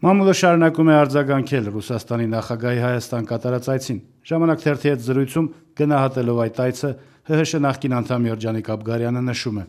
Մամուլը շարունակում է արձագանքել Ռուսաստանի նախագահի Հայաստան կատարած այցին։ Ժամանակ թերթի հետ զրույցում գնահատելով այդ այցը ՀՀՇ նախկին անդամ Երջանիկ Աբգարյանը նշում է.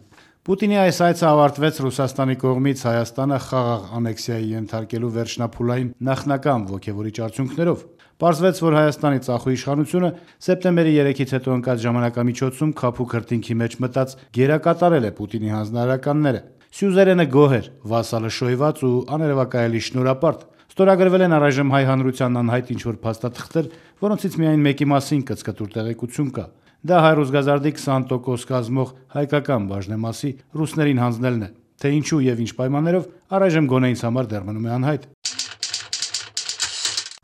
Պուտինի այս այցը ավարտվեց Ռուսաստանի կողմից Հայաստանը խաղաղ անեքսիայի ենթարկելու վերջնափուլային նախնական ոգևորիչ արդյունքներով։ Պարզվեց, որ Հայաստանի ծախու իշխանությունը սեպտեմբերի 3-ից հետո ընկած ժամանակամիջոցում քափու քրտինքի մեջ մտած գերակատարել է Պուտինի հանձնարարականները։ Սյուզերենը գոհ էր, վասալը շոյված ու աներևակայելի շնորհապարտ։ Ստորագրվել են առայժմ հայ հանրությանն անհայտ ինչ-որ փաստաթղթեր, որոնցից միայն մեկի մասին կծկտուր տեղեկություն կա։ Դա հայ-ռուսգազարդի 20% կազմող հայկական բաժնեմասի ռուսներին հանձնելն է, թե ինչու եւ ինչ պայմաններով առայժմ գոնե ինձ համար դեռ մնում է անհայտ։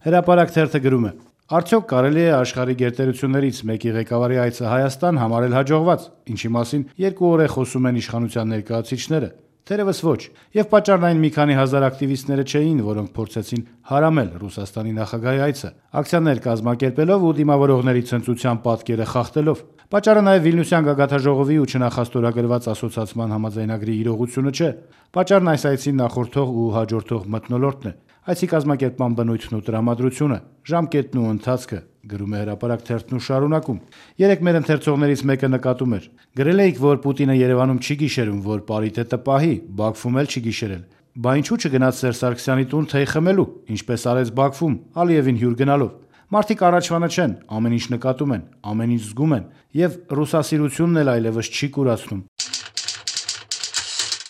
Հրապարակ թերթը գրում է. Արդյոք կարելի է աշխարհի գերտերություններից մեկի ղեկավարի այցը Հայաստան համարել հաջողված, ինչի մասին 2 օր է խոսում են իշխանության ներկայացուցիչները։ Թերևս ոչ, եւ պատճառն այն մի քանի հազար ակտիվիստները չէին, որոնք փորձեցին հարամել Ռուսաստանի նախագահի այցը, ակցիաներ կազմակերպելով ու դիմավորողների ցնծության պատկերը խախտելով։ Պատճառը նաեւ Վիլնյուսյան գագաթաժողովի ու չնախաստորագրված ասոցիացման համաձայնագրի իրողությունը չէ։ Պատճառն այս այցին նախորդող ու հաջորդող մթնոլորտն է։ Այցի կազմակերպման բնույթն ու տրամադրությունը, ժամկետն ու ընթացքը, գրում է Հրապարակ թերթն ու շարունակում։ Երեկ մեր ընթերցողներից մեկը նկատում էր. գրել էիք, որ Պուտինը Երևանում չի գիշերում, որ պարիտետը պահի, Բաքվում էլ չի գիշերել։ Բա ինչու չգնաց Սերժ Սարգսյանի տուն թեյ խմելու, ինչպես արեց Բաքվում, Ալիևին հյուր գնալով։ Մարդիկ առաջվանը չեն, ամեն ինչ նկատում են, ամեն ինչ զգում են, եւ ռուսասիրությունն էլ այլևս չի կուրացնում։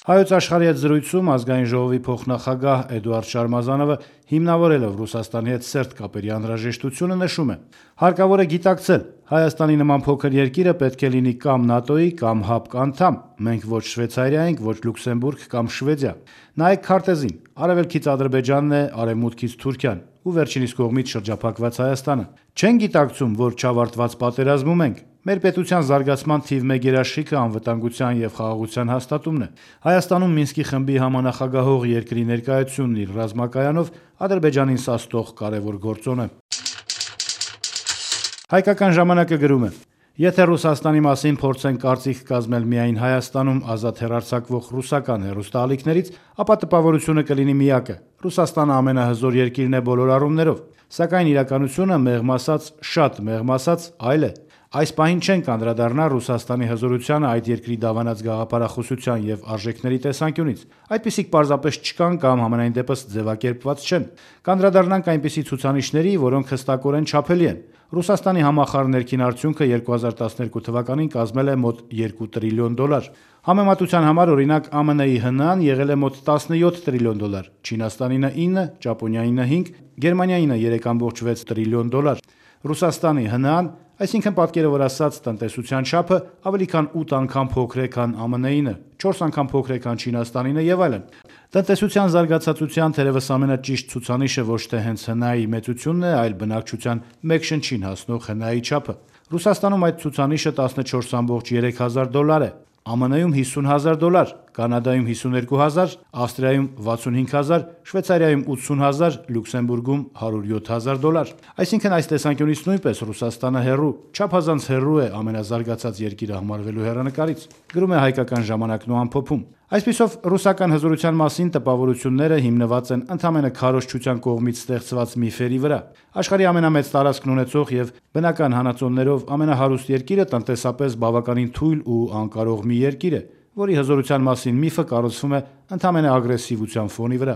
Հայոց աշխարհի հետ զրույցում ազգային ժողովի փոխնախագահ Էդուարդ Շարմազանովը հիմնավորելով Ռուսաստանի հետ սերտ կապերի անհրաժեշտությունը նշում է. հարկավոր է գիտակցել, Հայաստանի նման փոքր երկիրը պետք է լինի կամ ՆԱՏՕ-ի կամ ՀԱՊԿ անդամ, մենք ոչ Շվեյցարիա ենք, ոչ Լյուքսեմբուրգ կամ Շվեդիա։ Նայեք քարտեզին, արևելքից Ադրբեջանն է, արևմուտքից Թուրքիան ու վերջինիս կողմից շրջափակված Հայաստանը։ Չեն գիտակցում, որ չավարտված պատերազմում ենք։ Մեր պետության զարգացման թիվ 1 երաշխիքը անվտանգության եւ խաղաղության հաստատումն է։ Հայաստանում Մինսկի խմբի համանախագահող երկրի ներկայությունն իր ռազմակայանով Ադրբեջանին սաստող կարևոր գործոն է։ Հայկական ժամանակը գրում է. Եթե Ռուսաստանի մասին փորձեն կարծիք կազմել միայն Հայաստանում ազատ հեռարձակվող ռուսական հեռուստաալիքներից, ապա տպավորությունը կլինի միակը. Ռուսաստանը ամենահզոր երկիրն է բոլոր առումներով, սակայն իրականությունը մեղմ ասած, շատ մեղմ ասած, այլ է։ Այս պահին չեն կանդրադառնա Ռուսաստանի հզորությանը այդ երկրի դավանած գաղափարախոսության եւ արժեքների տեսանկյունից։ Այդպիսիք պարզապես չկան կամ համենայն դեպս ձևակերպված չեն։ Կանդրադառնանք այնպիսի ցուցանիշների, որոնք հստակորեն չափելի են։ Ռուսաստանի համախառն ներքին արդյունքը 2012 թվականին կազմել է մոտ $2 տրիլիոն։ Համեմատության համար օրինակ ԱՄՆ-ի ՀՆԱ-ն եղել է մոտ $17 տրիլիոն, Չինաստանի 9, Ճապոնիայի 5, Գերմանիայի 3.6 տրիլիոն։ Ռուսաստանի ՀՆԱ-ն, այսինքն պատկերավոր ասած տնտեսության չափը ավելի քան 8 անգամ փոքր է, քան ԱՄՆ-ինը, 4 անգամ փոքր է, քան Չինաստանինը եւ այլն։ Տնտեսության զարգացածության թերևս ամենաճիշտ ցուցանիշը ոչ թե հենց ՀՆԱ-ի մեծությունն է, այլ բնակչության մեկ շնչին հասնող ՀՆԱ-ի չափը։ Ռուսաստանում այդ ցուցանիշը $14,300 է, ԱՄՆ-ում $50,000, Կանադայում 52,000, Ավստրիայում 65,000, Շվեյցարիայում 80,000, Լյուքսեմբուրգում $107,000։ Այսինքն այս տեսանկյունից նույնպես Ռուսաստանը հեռու, չափազանց հեռու է ամենազարգացած երկիրը համարվելու հեռանկարից, գրում է Հայկական ժամանակն ու ամփոփում։ Այսպիսով ռուսական հզորության մասին տպավորությունները հիմնված են ընդամենը քարոզչության կողմից ստեղծված միֆերի վրա։ Աշխարհի ամենամեծ տարածքն ունեցող եւ բնական հանածոներով ամենահարուստ երկիրը տնտեսապես բավականին թույլ ու անկարող մի երկիր է, որի հզորության մասին միֆը կառուցվում է ընդամենը ագրեսիվության ֆոնի վրա։